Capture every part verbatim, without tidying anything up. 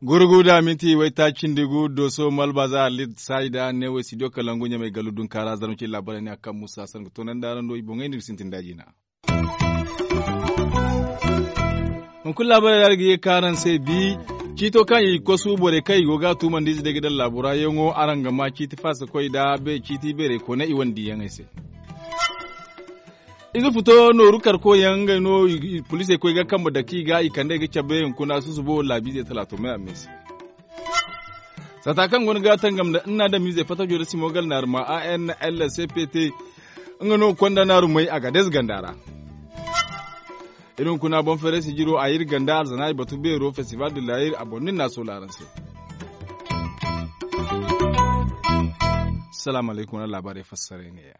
Gurgu da minti waytaaci cindi gu dooso malbaaza alit saayida neewey studio kalangu ɲamay gallu dunkaara zarma cindi laabaarey ne a kaŋ musa sanga toonandi araŋ do i boŋey nda iri sintin da jina. Hunkuna laabaarey ra iri ga ye ka araŋ se bi ciito kaŋ i kosu borey kaŋ i go ga a tuumandi ize day ga daŋ laabo ra yaŋo araŋ ga ma ciiti faasa koy nda ciiti beerey koonay i wane diiyaŋey se. Ize futo nooru karko yaŋ ngey no poliisey koy ga kambe dake i ga i kande ga cabe hunkuna susubo laabiizey talaato may a me se. Saata kaŋ go no ga tangam nda nna adamiizey fatajo nda simo gal naaruma a n l c p t nga no konda naarumey a ga deeze ganda ra. Iri hunkuna boŋ feeray sijiro a iri ganda alzana i batu beero festival de layir a boŋ no iri na a soola araŋ se. Salaamu alaykum wala laabaarey fassaray ne ya.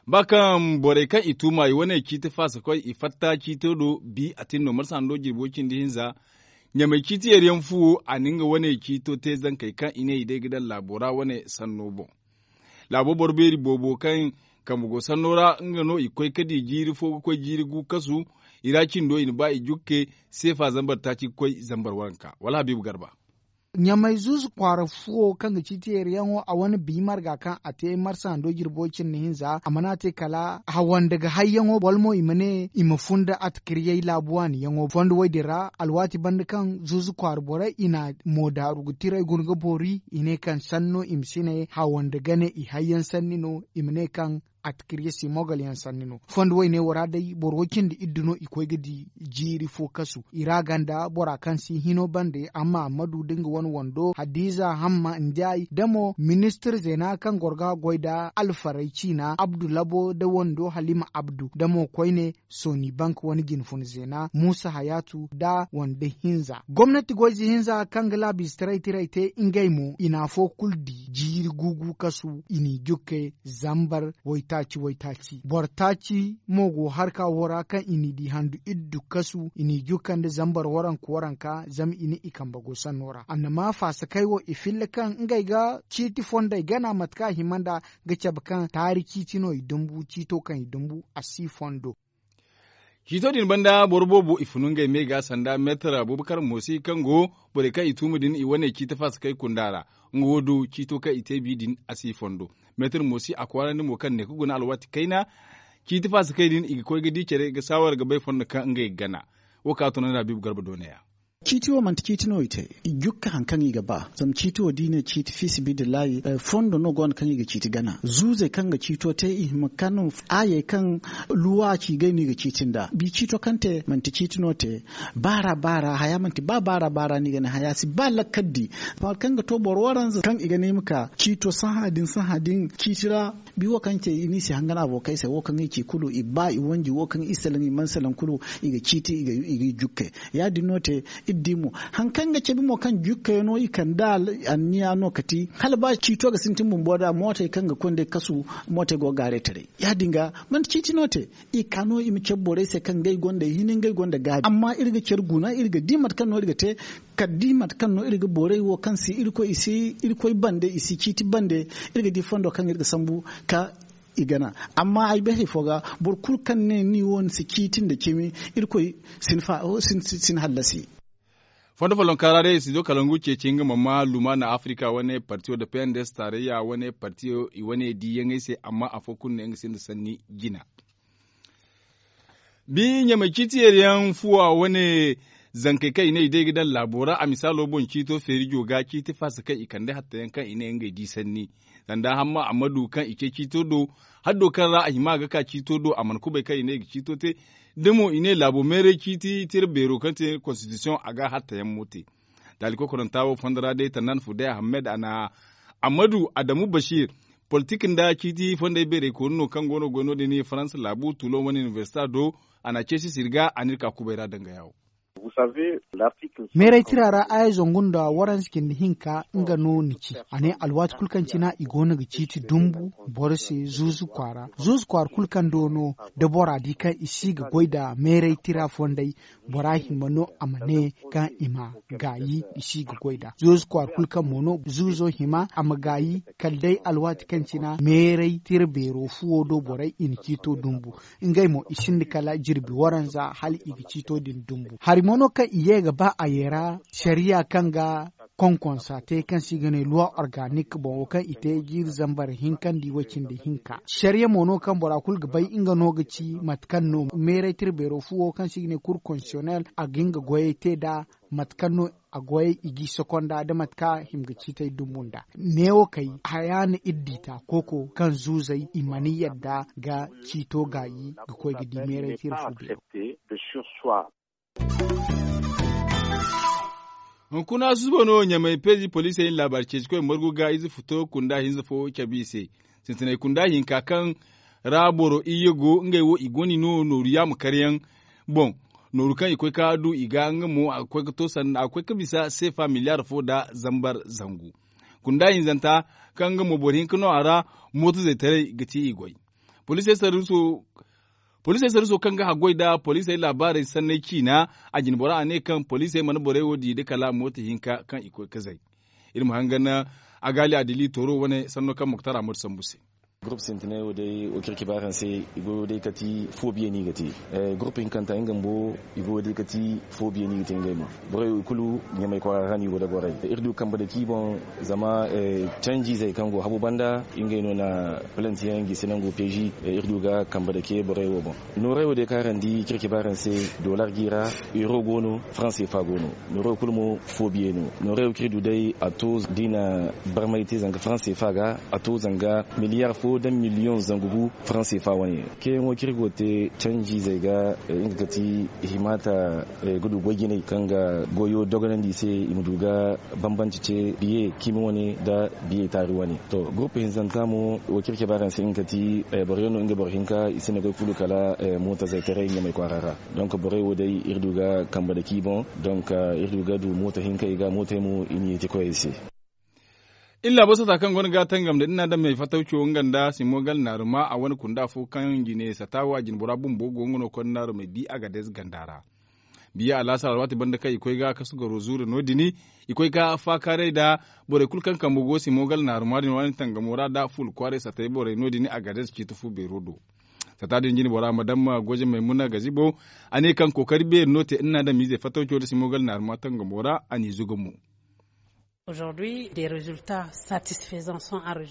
Ba kaŋ borey kaŋ i tuuma i wane ciiti faasa koy i fatta ciito do bi a tin no marsa hando jirbo cindi hinza. Ɲamay ciiti yeeriyaŋ fuwo a na nga wane ciito te zankey kaŋ i ne i day ga daŋ laabo ra wane sanno boŋ. Laabo boro beeri boobo kaŋ kambe go sanno ra nga no i koy ka di jiiri fo ga koy jiiri gu kasu. I ra cindo i na ba i jukke seefa zambar taaci ga koy zambar waranka wala habiibu garba. Ɲamay zuuzu kwaara fuwo kaŋ ga ci teeriyaŋo a wane bi marga kaŋ a te marsa hando jirbo cindi hinza a mana te kala hawanda ga hayyaŋo wala mo i ma ne i ma funda atakiriyey laabu waaniyaŋo fondo woy din ra alwaati banda kaŋ zuuzu kwaara borey i na moodaaru ga tiray guna ga boori i ne kaŋ sanno i ma si ne hawanda gane i hayyaŋ sanni no i ma ne kaŋ atakirye si mogal yaŋ sanni no fondo woy ne wo ra day boro cindi iddu no i koy ga di jiiri fo kasu i ra ganda bora kaŋ si hino bande amma ammadu da nga wane wando hadiza hamma njaay da mo ministir zeena kaŋ goro ga goy nda alfaray ciina abdu labo da wando halima abdu da mo koyne sooni bank wane jinfuna zeena muusa hayaatu da wando hinza gomnati goyze hinza kaŋ ga laabiize taray tiray te ngey mo i na afo kulu di jiiri guugu kasu i n'i jukke zambar waytaaci waytaaci boro taaci mo go harka wo ra kaŋ i n'i di handu iddu kasu i n'i jukka nda zambar waranka waranka zama i ne i kambe go sanno ra annama faasakey wo i filla kaŋ ngey ga ciiti fondey gana mate kaŋ a hima nda ga cabe kaŋ taari ciiti no i dumbu ciito kaŋ i dumbu a si fondo. Ciito din banda boro boobo i funu ngey me ga sanda meetar abubakar moosi kaŋ go borey kaŋ i tuuma din i wane ciiti faasa kaŋ i kunda ra. Nga wo du ciito kaŋ i te bi din a si fondo. Meetar moosi a kwaarandi mo kaŋ ne ka guna alwaati kayna ciiti faasa kaŋ i din i ga koy ga di care ga saawar ga bay fondo kaŋ ngey ga gana. Wo kaŋ a tunandi habiibu garba doonaya. Ciiti wo manti ciiti no i te i jukka hari kaŋ i ga ba zama ciiti wo da i ne ciiti fiisi bidillahi fondo no go no kaŋ i ga ciiti gana zuuzey kaŋ ga ciito te i hima kano aayey kaŋ luwaaci gay no i ga ciiti nda bi ciito kaŋ te manti ciiti no te. Baara baara haya manti ba baara baara no i ga ne haya si ba lakkal di. Hari kaŋ ga to boro waranza kaŋ i ga ne i ma ka ciito sahã din sahã din ciiti ra. Bi wo kaŋ te i n'i si hangan abokey se wo kaŋ i ci kulu i ba i wanji wo kaŋ i salaŋ i mana salaŋ kulu i ga ciiti i ga i jukkey. Ya- din no te iri di mo hari kaŋ ga cabe mo kaŋ jukkayaŋo i kand'a anniya no kati hala ba ciito ga sintin bumbo da mootey kaŋ ga konda kasu mootey go ga gaaray taray. Ya- din ga manti ciiti no te i ka no i ma cabe borey se kaŋ ngey gonda hini ngey gonda gaabi amma iri ga care guna iri ga di mate kaŋ no iri ga te kala di mate kaŋ no iri ga borey wo kaŋ si irkoy i si irkoy bande i si ciiti bande. Iri ga di fondo kaŋ iri ga sambu ka i gana. Amma ay bay hari fo ga boro kulu kaŋ ne ni wo ni si ciiti nda cimi irkoy si ni hallasi. Fondo follonka ra day studio kalangu ceeci nga ma ma lumana afrika wane partiyo da pnds tarayya wane partiyo i wane diiyaŋey se amma afo kulu ne nga sinda sanni jina. Bi ɲamay ciiti yeeriyaŋ fuwa wane zankey kaŋ i ne i day ga daŋ laabo ra a misaalo boŋ ciito feerijo ga ciiti faasa kaŋ i kande hattayaŋ kaŋ i ne ngey di sanni. Sanda hamma ammadu kaŋ i ce ciito do haddo kaŋ ra a hima ga ka ciito do a mana kubay kaŋ i ne i ga ciito te. Da mo i ne laabo meeray ciiti tira beero kaŋ te konstitisiyoŋ a ga hattayaŋ mo te. Taali kokoranta wo fondo ra day tannan fuday ahammed a na ammadu adamu bashir politik nda ciiti fondey beerey koonu no kaŋ go no goy no- din faransa laabu tulo wane inibersita do. A na ceesi sirga a n'iri ka kubay ra danga yaawo. Meeray tira ra aya zangu nda waranza cindi hinka nga no ni ci. A ne alwaati kulu kaŋ cina i go no ga ciiti dumbu boro se zuuzu kwaara. Zuuzu kwaara kulu kaŋ do no da bora di kaŋ i si ga goy nda meeray tira fondey, bora hima no a ma ne kaŋ i ma gaayi i si ga goy nda zuuzu kwaara kulu kaŋ mo no zuuzo hima a ma gaayi kala day alwaati kaŋ cina meeray tira beero fuwo do borey i na ciito dumbu. Ngey mo i sinda kala jirbi waranza hala i ga ciito din dumbu. Hari mo no kaŋ i ye ga ba a ye ra sariya kaŋ ga konkonsa te kaŋ se i ga ne luwa organik boŋ wo kaŋ i te jiiri zambar hinkandi way cindi hinka. Sariya mo no kaŋ bora kulu ga bay nga no ga ci mate kaŋ no meeray tira beero fuwo kaŋ se i ga ne kur konsiyonel a ga nga goyey te nda mate kaŋ no a goyey i g'i sokonda da mate kaŋ a hima ga ciitey dumbu nda. Neewo kay haya na iri di ta kooko kaŋ zuuzey i mana yadda ga ciito gaayi ga koy ga di meeray tira fu beero. Hunkuna susubo no ɲamay peezi poliisey na laabaari ceeci koy margu ga ize futo kunda hinza fo cabe i se. Sintinay kunda hinka kaŋ ra boro iyye go ngey wo i gonda no nooru yaama karyaŋ boŋ. Nooru kaŋ i koy ka du i ga nga mo a ga koy ka to sanda a ga koy ka bisa seefa miliyaar fo nda zambar zangu. Kunda hinzanta kaŋ nga mo boro hinka no a ra, mooto zaytaray ga ti i goy. Poliisey sarruso kaŋ ga haggoy nda poliisey laabaarey sanney ciina, a jine bora a ne kaŋ poliisey mana borey wo di nda kala mooto hinka kaŋ i koy ka zay. Iri ma hangan agaali adili tooro wane sanno kaŋ moktar amadu sambu se. Gurupu sintinay wo day wo kirki baaraŋ se. I go day ka ti foobiye no i ga te. Gurupu hinkanta nga bumbo i go day ka ti foobiye no i ga te ngey mo. Borey wo i kulu ɲamay kwaara ra no i go da goray. Iri du kambe dake i boŋ zama canjizey kaŋ go habu banda ngey no na palantiyaŋ gisi nangu peezi. Iri du ga kambe dake borey wo boŋ. Nooray wo day kaŋ araŋ di kirki baaraŋ se, dolar g'i ra, euro go no, faranseefa go no. Nooray wo kulu mo foobiye no. Nooray wo kaŋ iri du day a to da i na barmay te zanga faranseefa ga, a to zanga miliyaar fo nda miliyoŋ zangu gu faranseefa wane. Keyaŋo kaŋ iri go ga te canjizey ga, nga ga ti i hima ta ga du goy jinay kaŋ ga goyo dogonandi i se i ma du ga bambanci ce biye cimi wane nda biye taari wane. To gurupu hinzanta mo wo kaŋ iri cabe araŋ se nga ga ti boro yaŋ no nga boro hinka i sinda goy kulu kala mootazey taray ɲamay kwaara ra. Donk borey wo day iri du ga kambe dake i boŋ. Donk iri du ga du mooto hinkey ga mootey mo i na yeeti koyey se. Iri laabo sata kaŋ go no ga tangam nda iri na daŋ me fatawco nga nda simogal naaruma a wane kunda fo kaŋ jine sata wo a jine bora bumbo go nga no konda naarumey bi a ga day ganda ra. Biya alaasar alwaati banda kaŋ i koy ga kasu garo zuure no- din i koy ga faakaaray nda borey kulu kaŋ kambe go simogal naaruma din waani tangamo ra nda fuula kwaaray satay borey no- din a ga day ciiti fu beero do. Sata din jine bora madam goje maymuna gazibo a ne kaŋ kookari beeri no te iri na daŋ miizey fatawco nda simogal naaruma tangamo ra a n'i zuga mo.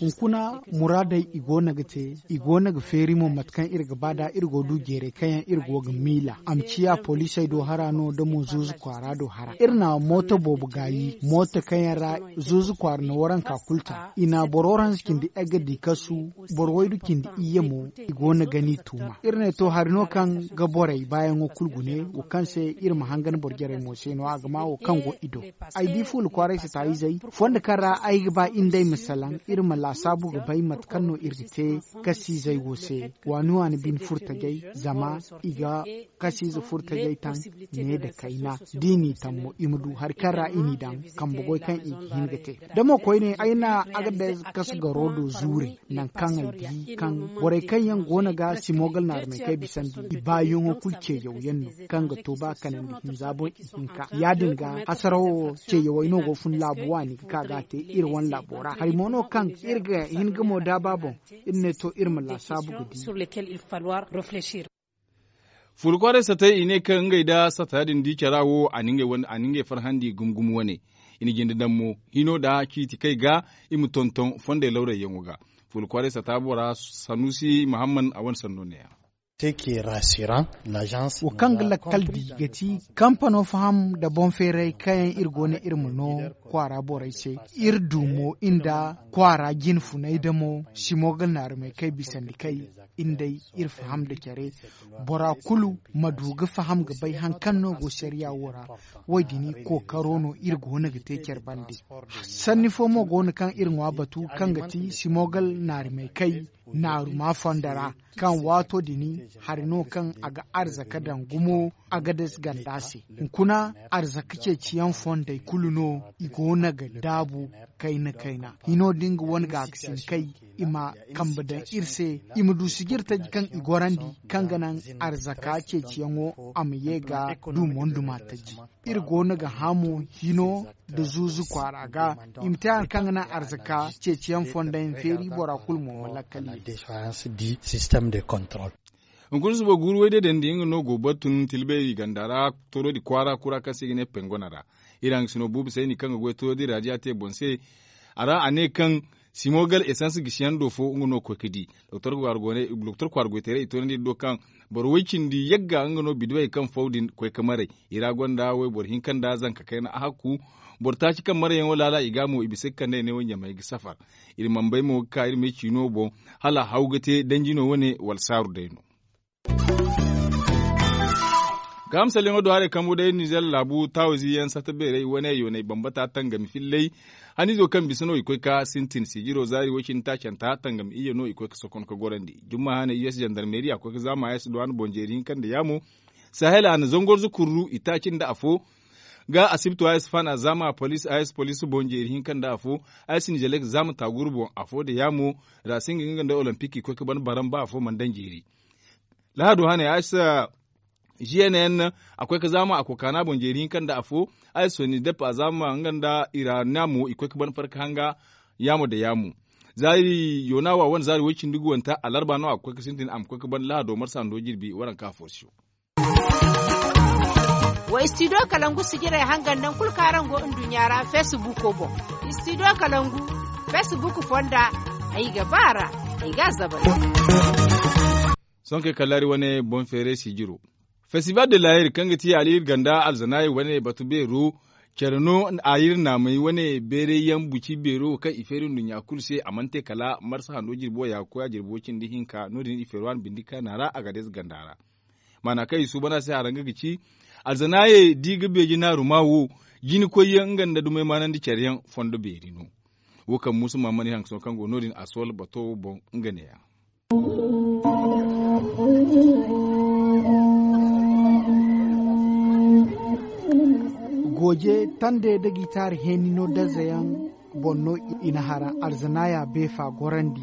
Hunkuna muraadey i go no ga te, i go no ga feeri mo mate kaŋ iri ga ba nd'a iri go du jeeray kaŋ yaŋ iri go ga miila a ma ciya poliisey do hara no nda mo zuuzu kwaara do hara. Iri na mooto boobo gaayi mooto kaŋ yaŋ ra zuuzu kwaara na waranka kulu ta i na boro waranza cindi egga di kasu. Boro waydu cindi iyye mo i go no ga ni tuuma. Iri ne to hari no kaŋ ga borey baayaŋo kulu gune wo kaŋ se iri ma hangan boro jarey mo se no a ga ma wo kaŋ go i do. Ay di fuula kwaaray sataayizey fondo kaŋ ra ay ga ba iri nd'ey ma salaŋ iri ma laasaabu ga bay mate kaŋ no iri ga te kasiizey wo se waani waani bine furtajey zama i ga kasiize furtajey taŋ ne nda kayna. D'i n'i taŋ mo i ma du hari kaŋ ra i n'i daŋ kambe goy kaŋ i ga hin ga te. Da mo koyne ay na agadez kasu garo do zuure nangu kaŋ ay di kaŋ borey kaŋ yaŋ go no ga simogal naarumey kaŋ ay bisandi i baayaŋo kulu ceeyaw yaŋ no kaŋ ga to ba kanandi hinza boŋ i hinka ya- din ga hasarawo ceeyawey no go fun laabu waani ga ka ga a te iri wane laabo ra hari mo no kaŋ iri ga hin ga mo daaba boŋ. Iri ne to iri ma laasaabu ga di. Fuula kwaaray satay i ne kaŋ ngey nda sata din di cara wo a na ngey farhandi gumo gumo wane. I na jinde daŋ mo hino nda ciiti kay ga i ma tonton fondey lawrayyaŋo ga. Fuula kwaaray sata bora sanusi muhamman a wane sanno neeya. Wo kaŋ ga lakkal di ga ti kampano faham nda boŋ feeray kaŋ yaŋ iri go no iri ma no kwaara borey se. Iri du mo iri nda kwaara jine funay damo simo ga naarumey kaŋ ay bisandi kay iri day iri faham nda care. Bora kulu ma du ga faham ga bay hari kaŋ no go sariya wo ra. Wo- din kookaro no iri go no ga te care bande. Sanni fo mo go no kaŋ iri ŋwa batu kaŋ ga ti simogal naarimey kay naaruma fondo ra kaŋ waato din Hari no kaŋ a ga arzaka daŋ gumo a ga des ganda se. Hunkuna arzaka ceeciyaŋ fondey kulu no i go no ga daabu kayna kayna hino da nga wane ga ga si ni kay i ma kambe daŋ iri se i ma du sijiri taji kaŋ i gorandi kaŋ ga naŋ arzaka ceeciyaŋo a ma ye ga du monduma taji. Iri go no ga hã mo hino nda zuuzu kwaara ga i ma te hari kaŋ ga naŋ arzaka ceeciyaŋ fonda yaŋ feeri bora kulu mo ma lakkal iri. Hunkuna suba guuru way day dandi nga no go batun tilbay ganda ra, torodi kwaara kura kaŋ se i ga ne pengona ra. Iri hangasino buubu sayni kaŋ ga goy torodi raadiya te boŋ se. A ra a ne kaŋ simogal esans gisiyaŋ do fo nga no ga koy ga di. Doktor kwaara goyteeray i toonandi iri do kaŋ boro way cindi yagga nga no bidiwey kaŋ faw din koy ga maray. I ra gonda wayboro hinka nda zanka kayna a hakku. Boro taaci kaŋ marayyaŋo laala i ga mo i bisa ga kande i ne wo ɲamey ga safar. Iri mana bay mo ga ka iri ma ay ciino boŋ hala haw ga te danji no wane wala saaru day no. Gaaham salyaŋo do haray kambu day nizer laabu taawizi yaŋ sata beeray wane yoonay bambata tangami fillay. Haniizo kaŋ bisa no i koy ga sintin sijiro zaari way cindi taacanta tangami iyye no i koy ga sokon ga gorandi. Jumma hane us jandarmeri a koy ga zaama a s duwan boŋ jeeri hinka nda yaamo. Sahel a na zangorzo kurru i taaci nda afo. Ga asibto a s fan a zaama a polis a s polis boŋ jeeri hinka nda afo. A s nizelek zaama taaguru boŋ afo nda yaamo. Ra singa nga nda olimpik i koy ga ban baran ba afo mana daŋ jeeri. Lahado hane a s gnn a koy ga zaama a kokaana boŋ jeeri hinka nda afo. A s soni dep a zaama nga nda irana mo i koy ga ban farka hanga. Yaamo nda yaamo zaari yoonawa wane zaari way cindi guwanta alarba no a ga koy ga sintin a ma koy ga ban lahado marsa ndo jirbi waranka afo siyo. Wa istidiyo kalangu sijirey hangan naŋ kulu kaŋ araŋ go nduɲɲa ra feesibuuko boŋ. Istidiyo kalangu feesibuuko fonda. Ay ga ba a ra ay ga a zabari. Sohõ kaŋ ay kallaari wane boŋ feeray sijiro festival de layer kaŋ ga ti aliiri ganda alzanaayey wane batu beero. Care no a iri naamay wane beeray yaŋ buci beero kaŋ i feeri nduɲɲa kulu se a mana te kala marsa hando jirbo ya ga koy a jirbo cindi hinka no- din i feeri waani bindi kaana ra a ga deeza ganda ra. Maana kaŋ i suuban a se haranga ga ci alzanaayey da i ga beeji naaru ma wo. Jina koyyaŋ nga nda dumey maanandi care yaŋ fondo beeri no. Wo kaŋ muusa maamani hangaso kaŋ go no- din a sool bato boŋ nga ne- ya. Gooje tande da gitaari heeni no darza yaŋ boŋ no i na hara alzanaaya beefa gorandi.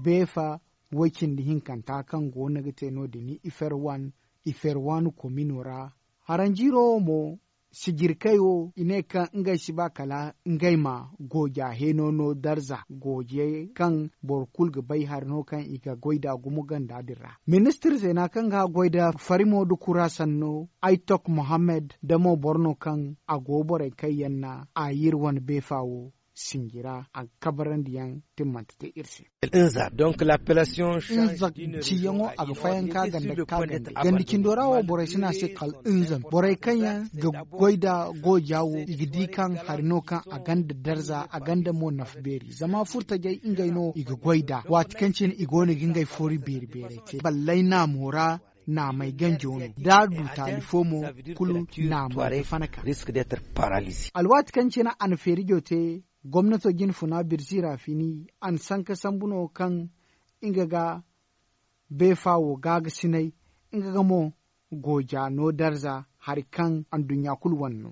Beefa way cindi hinkanta kaŋ go no ga te no- din i fer wan i fer waani komino ra. Haranjiiro wo mo sijirkey wo i ne kaŋ ngey si ba kala ngey ma gooja heeno no darza gooje kaŋ boro kulu ga bay hari no kaŋ i ga goy nd'a gumo ganda din ra. Ministir zeena kaŋ ga goy nda farimo nda kura sanno aytok mohammed nda mo boro no kaŋ a go borey kaŋ yaŋ na a yir wane beefa wo sinji ra a ga kabarandi yaŋ timmante te iri se. Nza ciyaŋo a ga fayanka ganda ka ganda ganda cindo ra wo borey si ne a se kala nza borey kaŋ yaŋ ga goy nda gooja wo i ga di kaŋ hari no kaŋ a ganda darza a ganda mo nafa beeri zama furtajey ngey no i ga goy nd'a waati kaŋ cine i go no ga ngey foori beeri beerey te balley naamo ra. Naamey ganjo no da a du taali fo mo kulu naamey ga fana ka. Alwaati kaŋ cine a na feerijo te gomnato jinfuna birzi ra fini a na sanka sambu no kaŋ nga ga beefa wo gaagasinay nga ga mo gooja no darza hari kaŋ anduɲɲa kulu wane no.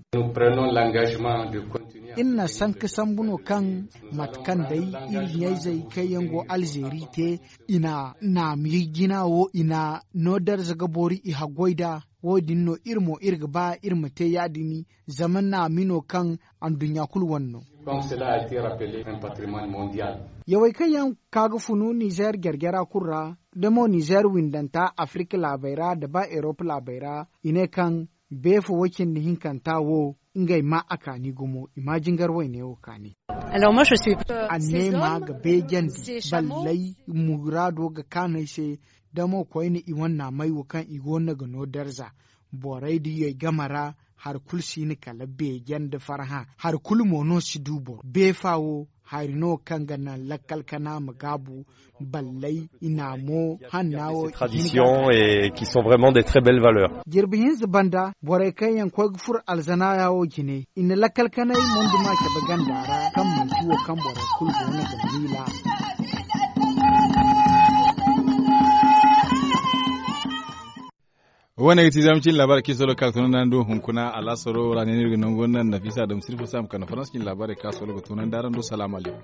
Iri na sanka sambu no kaŋ mate kaŋ day iri ɲayzey kaŋ yaŋ go alzeeri te i na naami jina wo i na no darza ga boori i haggoy nd'a. Wo- din no iri mo iri ga ba iri ma te ya- din zama naami no kaŋ anduɲɲa kulu wane no. Yawey kaŋ yaŋ ka ga funu nizeer jare jara kulu ra da mo nizeer windanta afirik laabey ra nda ba erop laabey ra i ne kaŋ beefo way cindi hinkanta wo ngey ma a kaani gumo i ma jingar wayne wo kaani. Anneema ga beejandi balley muraado ga kaanu ay se da mo koyne i wane naamey wo kaŋ i go no ga no darza borey da yay game ra. Hari kulu si hin kala beeje nda farhã hari kulu mo no si du boro beefa wo hari no kaŋ ga naŋ lakkal kana ma gaabu balley i na mo hanna wo. Traditions et qui sont vraiment des très belles valeurs. Jirbi hinza banda borey kaŋ yaŋ koy ga furo alzanaaya wo jine i na lakkal kanay mondu ma cabe ganda ra kaŋ manti wo kaŋ borey kulu go no ga miila. Wo- ne ga ti zama cin laabaarey kaŋ i soolo ga ka ga tunandi araŋ do hunkuna alaasaro ra ne no iri ga nangu naŋ nafiisa dam sirfa saama kande farans cin laabaarey kaŋ a soolo ga tunandi araŋ do salaamu alaykum.